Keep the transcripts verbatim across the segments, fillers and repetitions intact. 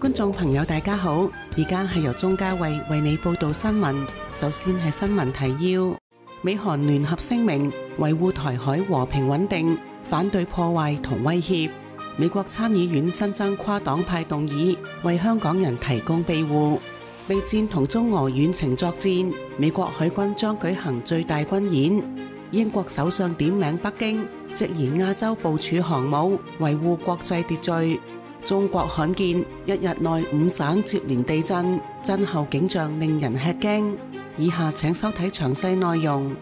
觀眾朋友大家好，而家係由鍾嘉慧為你報道新聞。首先係新聞提要：美韓聯合聲明維護台海和平穩定，反對破壞同威脅。美國參議院新增跨黨派動議，為香港人提供庇護。備戰同中俄遠程作戰，美國海軍將舉行最大軍演。英國首相點名北京，直言亞洲部署航母，維護國際秩序。中國罕見一日內五省接連地震，震後景象令人吃驚。以下請收睇詳細內容。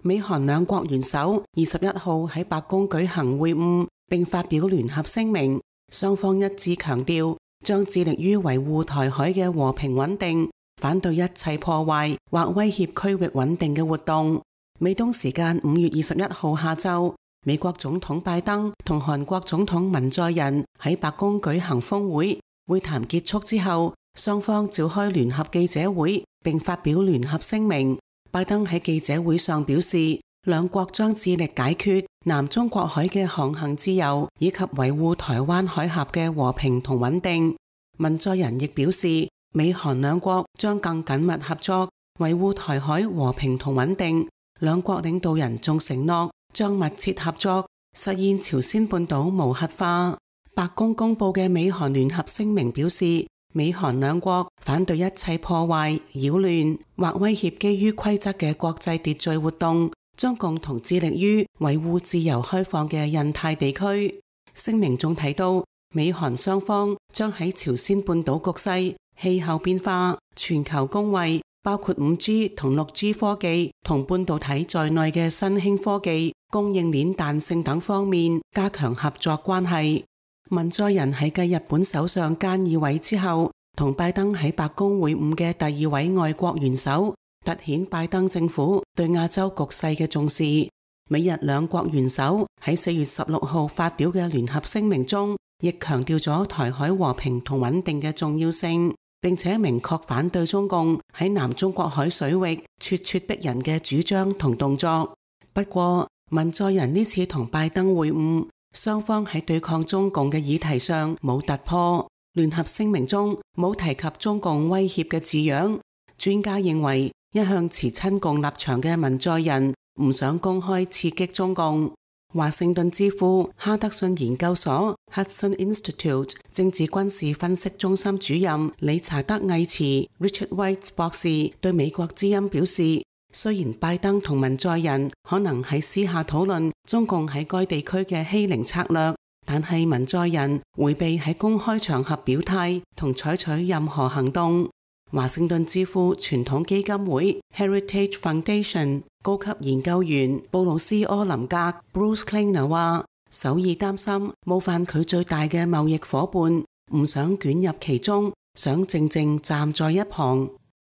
美韓兩國元首二十一號喺白宮舉行會晤，並發表聯合聲明，雙方一致強調將致力於維護台海嘅和平穩定，反對一切破壞或威脅區域穩定嘅活動。美東時間五月二十一號下晝，美國總統拜登同韓國總統文在寅喺白宮舉行峰會，會談結束之後，雙方召開聯合記者會，並發表聯合聲明。拜登喺記者會上表示，兩國將致力解決南中國海嘅航行自由，以及維護台灣海峽嘅和平同穩定。文在寅亦表示，美韓兩國將更緊密合作，維護台海和平同穩定。兩國領導人仲承諾將密切合作，實現朝鮮半島無核化。白宮公布嘅美韓聯合聲明表示，美韓兩國反對一切破壞、擾亂或威脅基於規則嘅國際秩序活動，將共同致力於維護自由開放嘅印太地區。聲明仲提到，美韓雙方將喺朝鮮半島局勢、氣候變化、全球公衛，包括五 G 同六 G 科技同半導體在內嘅新興科技、供應鏈彈性等方面加強合作關係。文在寅喺繼日本首相菅義偉之後，同拜登喺白宮會晤嘅第二位外國元首，凸顯拜登政府對亞洲局勢嘅重視。美日兩國元首喺四月十六號發表嘅聯合聲明中，亦強調咗台海和平同穩定嘅重要性，並且明確反對中共喺南中國海水域咄咄逼人嘅主張同動作。不過，文在寅呢次同拜登會晤，雙方喺對抗中共嘅議題上冇突破。聯合聲明中冇提及中共威脅嘅字樣。專家認為，一向持親共立場嘅文在寅唔想公開刺激中共。華盛頓智庫哈德遜研究所 Hudson Institute 政治軍事分析中心主任理查德·魏茨 Richard White 博士對美國之音表示，雖然拜登同文在寅可能喺私下討論中共喺該地區嘅欺凌策略，但係文在寅迴避喺公開場合表態同採取任何行動。華盛頓智庫傳統基金會 Heritage Foundation 高級研究員布魯斯柯林格 Bruce Kleiner 話，首爾擔心冒犯佢最大嘅貿易夥伴，唔想捲入其中，想靜靜站在一旁。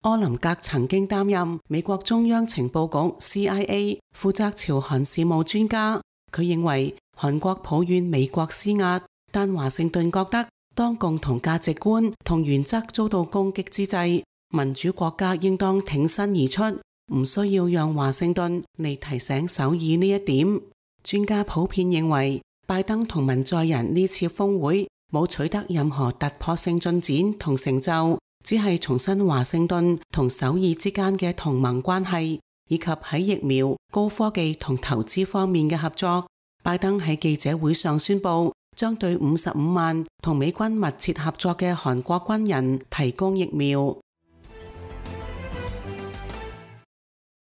柯林格曾經擔任美國中央情報局 C I A 負責朝韓事務專家，佢認為韓國抱怨美國施壓，但華盛頓覺得當共同價值觀同原則遭到攻擊之際，民主國家應當挺身而出，唔需要讓華盛頓嚟提醒首爾呢一點。專家普遍認為，拜登同文在寅呢次峰會冇取得任何突破性進展同成就，只係重申華盛頓同首爾之間嘅同盟關係，以及喺疫苗、高科技同投資方面嘅合作。拜登喺記者會上宣布，將對五十五萬同美軍密切合作嘅韓國軍人提供疫苗。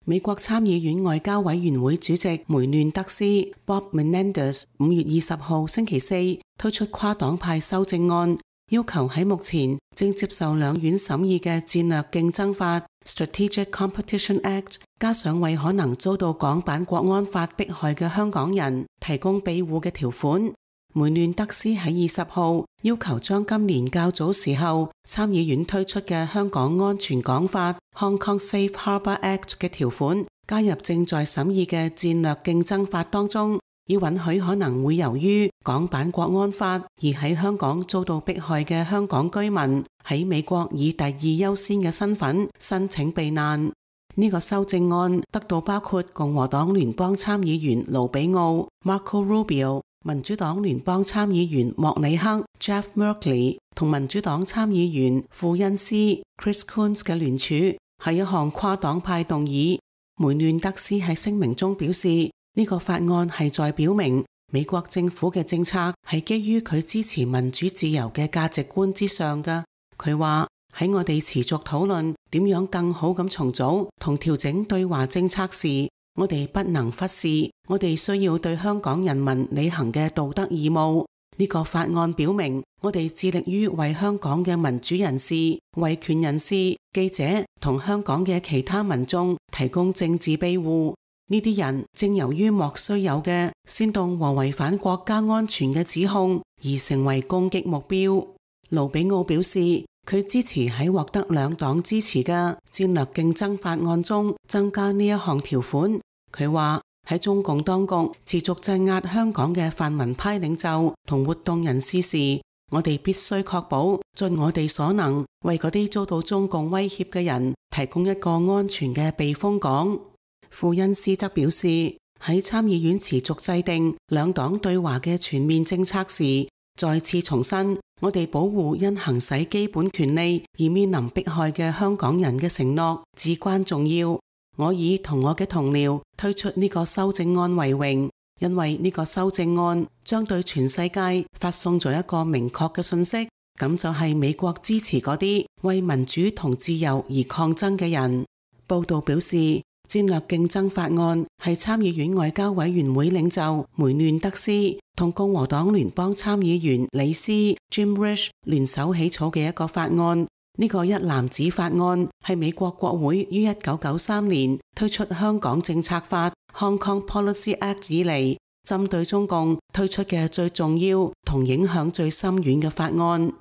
美國參議院外交委員會主席梅嫩德斯 Bob Menendez 五月二十號星期四推出跨黨派修正案，要求喺目前正接受兩院審議嘅戰略競爭法 Strategic Competition Act， 加上為可能遭到港版國安法迫害嘅香港人提供庇護嘅條款。梅嫩德斯喺二十號要求將今年較早時候參議院推出嘅香港安全港法 Hong Kong Safe Harbour Act 嘅條款加入正在審議嘅戰略競爭法當中，以允許可能會由於港版國安法而喺香港遭到迫害嘅香港居民喺美國以第二優先嘅身份申請避難。呢、這個修正案得到包括共和黨聯邦參議員盧比奧 Marco Rubio、民主黨聯邦參議員莫里克 Jeff Merkley 同民主黨參議員庫恩斯 Chris Coons 嘅聯署係一項跨黨派動議。梅嫩德斯喺聲明中表示，呢個法案係在表明美國政府嘅政策係基於佢支持民主自由嘅價值觀之上嘅。佢話喺我哋持續討論點樣更好咁重組同調整對華政策時，我哋不能忽視我哋需要對香港人民履行嘅道德義務。呢個法案表明，我哋致力於為香港嘅民主人士、維權人士、記者同香港嘅其他民眾提供政治庇護。呢啲人正由於莫須有嘅煽動和違反國家安全嘅指控而成為攻擊目標。盧比奧表示，佢支持喺獲得兩黨支持嘅戰略競爭法案中增加呢一項條款。佢話喺中共當局持續鎮壓香港嘅泛民派領袖同活動人士時，我哋必須確保盡我哋所能為嗰啲遭到中共威脅嘅人提供一個安全嘅避風港。庫恩斯則表示，喺參議院持續制定兩黨對華嘅全面政策時，再次重申我哋保護因行使基本權利而面臨迫害嘅香港人嘅承諾至關重要。我以同我嘅同僚推出呢個修正案為榮，因為呢個修正案將對全世界發送咗一個明確嘅信息，咁就係美國支持嗰啲為民主同自由而抗爭嘅人。報道表示，戰略競爭法案係參議院外交委員會領袖梅嫩德斯同共和黨聯邦參議員李斯 Jim Risch 聯手起草嘅一個法案。呢個一籃子法案係美國國會於一九九三年推出香港政策法 Hong Kong Policy Act 以嚟，針對中共推出嘅最重要同影響最深遠嘅法案。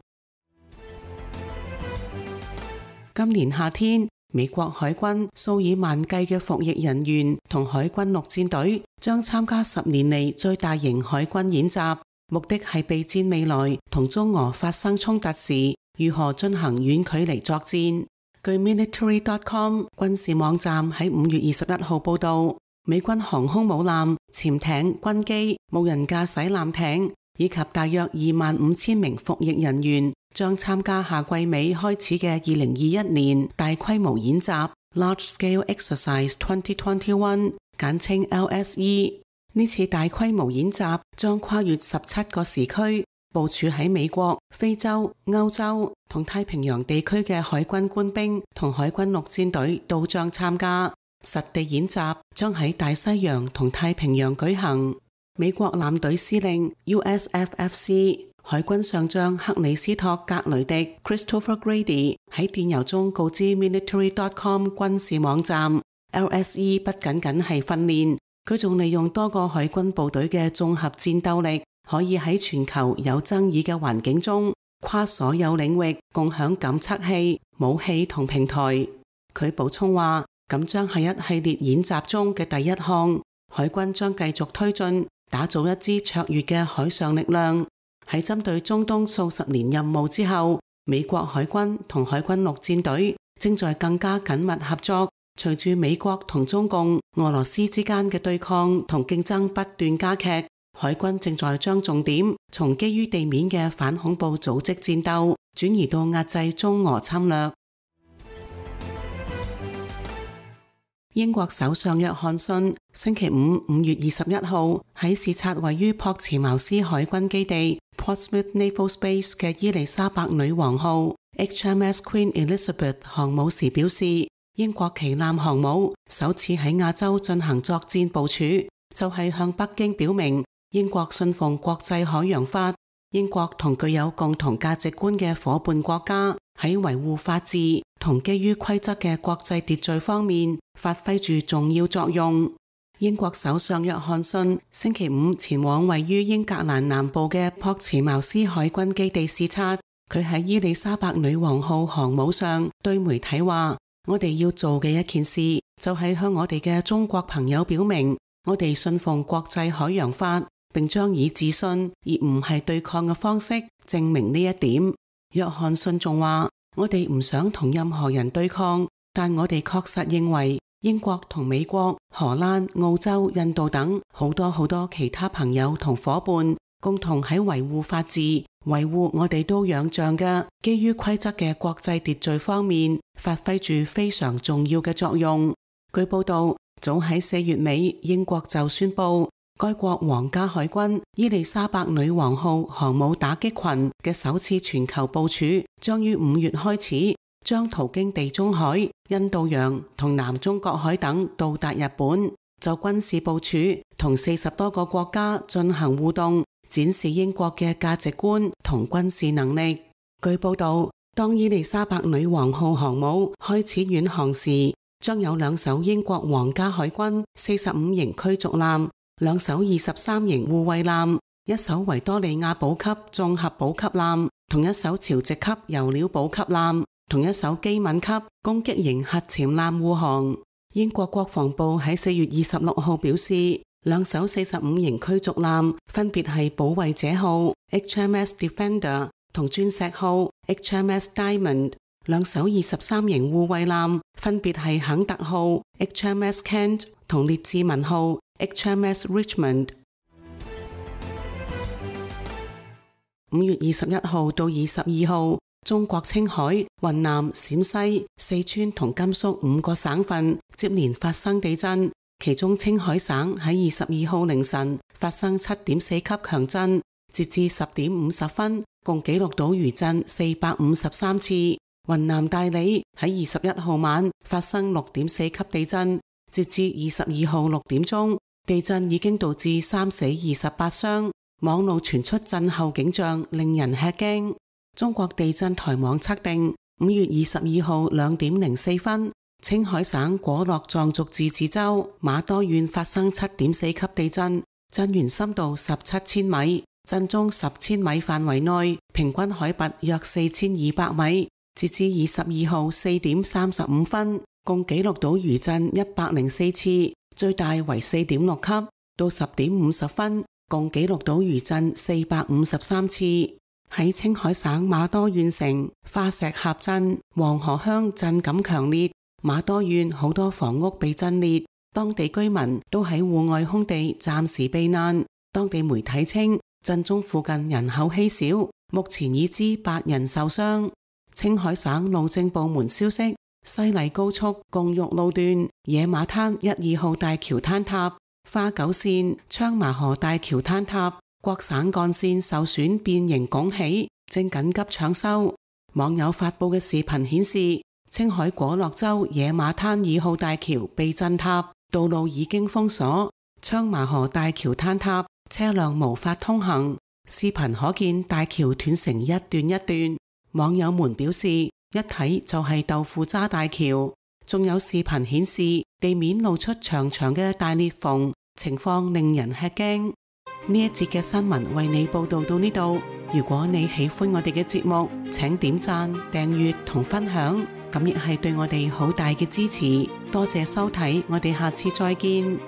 今年夏天，美國海軍數以萬計嘅服役人員同海軍陸戰隊將參加十年嚟最大型海軍演習，目的係備戰未來同中俄發生衝突時如何進行遠距離作戰。據 military dot com 軍事網站喺五月二十一號報道，美軍航空母艦、潛艇、軍機、無人駕駛艦艇以及大約二萬五千名服役人員將參加夏季尾開始嘅二零二一年大規模演習 Large Scale Exercise twenty twenty-one， 簡稱 L S E。 呢次大規模演習將跨越十七個時區，部署喺美國、非洲、歐洲同太平洋地區嘅海軍官兵同海軍陸戰隊都將參加。實地演習將喺大西洋同太平洋舉行。美國艦隊司令 U S F F C 海軍上將克里斯托格雷迪 Christopher Grady 喺電郵中告知 military dot com 軍事網站， L S E 不僅僅係訓練，佢仲利用多個海軍部隊嘅綜合戰鬥力，可以喺全球有爭議嘅環境中，跨所有領域共享感測器、武器同平台。佢補充話，咁將係一系列演習中嘅第一項，海軍將繼續推進，打造一支卓越嘅海上力量。喺針對中東數十年任務之後，美國海軍同海軍陸戰隊正在更加緊密合作。隨住美國同中共、俄羅斯之間嘅對抗同競爭不斷加劇，海軍正在將重點從基於地面嘅反恐怖組織戰鬥轉移到壓制中俄侵略。英國首相約翰遜星期五五月二十一號喺視察位於樸茨茅斯海軍基地 Portsmouth Naval Base 嘅伊麗莎白女王號 H M S Queen Elizabeth 航母時表示，英國旗艦航母首次喺亞洲進行作戰部署，就係向北京表明英國信奉國際海洋法，英國同具有共同價值觀嘅夥伴國家喺維護法治同基於規則嘅國際秩序方面發揮住重要作用。英國首相約翰遜星期五前往位於英格蘭南部嘅樸茨茅斯海軍基地視察，佢喺伊麗莎白女王號航母上對媒體話，我哋要做嘅一件事就係向我哋嘅中國朋友表明，我哋信奉國際海洋法，並將以自信而唔係對抗嘅方式證明呢一點。約翰遜仲話，我哋唔想同任何人對抗，但我哋確實認為英國同美國、荷蘭、澳洲、印度等好多好多其他朋友同夥伴共同喺維護法治、維護我哋都仰仗嘅基於規則嘅國際秩序方面，發揮住非常重要嘅作用。據報道，早喺四月尾，英國就宣布，該國皇家海軍伊麗莎白女王號航母打擊群嘅首次全球部署將於五月開始，將途經地中海、印度洋同南中國海等到達日本，就軍事部署同四十多個國家進行互動，展示英國嘅價值觀同軍事能力。據報道，當伊麗莎白女王號航母開始遠航時，將有兩艘英國皇家海軍四十五型驅逐艦、兩艘二十三型護衛艦、一艘維多利亞補給綜合補給艦同一艘潮汐級油料補給艦同一艘基敏級攻擊型核潛艦護航。英國國防部喺四月二十六號表示，兩艘四十五型驅逐艦分別係保衛者號 H M S Defender 同鑽石號 H M S Diamond， 兩艘二十三型護衛艦分別係肯特號 H M S Kent 同列治文號 H M S Richmond。 五月二十一號到二十二號，中國青海、雲南、陝西、四川同甘肅五個省份接連發生地震，其中青海省喺二十二號凌晨發生七點四級強震，截至十點五十分，共記錄到餘震四百五十三次。雲南大理喺二十一號晚發生六點四級地震，截至二十二號六點鐘，地震已經導致三死二十八傷，網路傳出震後景象，令人吃驚。中國地震台網測定，五月二十二號兩點零四分，青海省果洛藏族自治州瑪多縣發生七點四級地震，震源深度十七千米，震中十千米範圍內，平均海拔約四千二百米。截至二十二號四點三十五分，共記錄到餘震一百零四次，最大為四點六級。到十點五十分，共記錄到餘震四百五十三次。喺青海省瑪多縣城化石峽鎮黃河鄉震感強烈，瑪多縣好多房屋被震裂，當地居民都喺戶外空地暫時避難。當地媒體稱，震中附近人口稀少，目前已知八人受傷。青海省路政部門消息，西麗高速共玉路段野馬灘一二號大橋坍塌，花九線昌麻河大橋坍塌，各省幹線受損變形拱起，正緊急搶修。網友發布嘅視頻顯示，青海果洛州野馬灘二號大橋被震塌，道路已經封鎖，昌麻河大橋坍塌，車輛無法通行。視頻可見大橋斷成一段一段。網友們表示，一睇就係豆腐渣大橋。仲有視頻顯示地面露出長長嘅大裂縫，情況令人吃驚。呢一節嘅新聞為你報道到呢度。如果你喜歡我哋嘅節目，請點讚、訂閱同分享，咁亦係對我哋好大嘅支持。多謝收睇，我哋下次再見。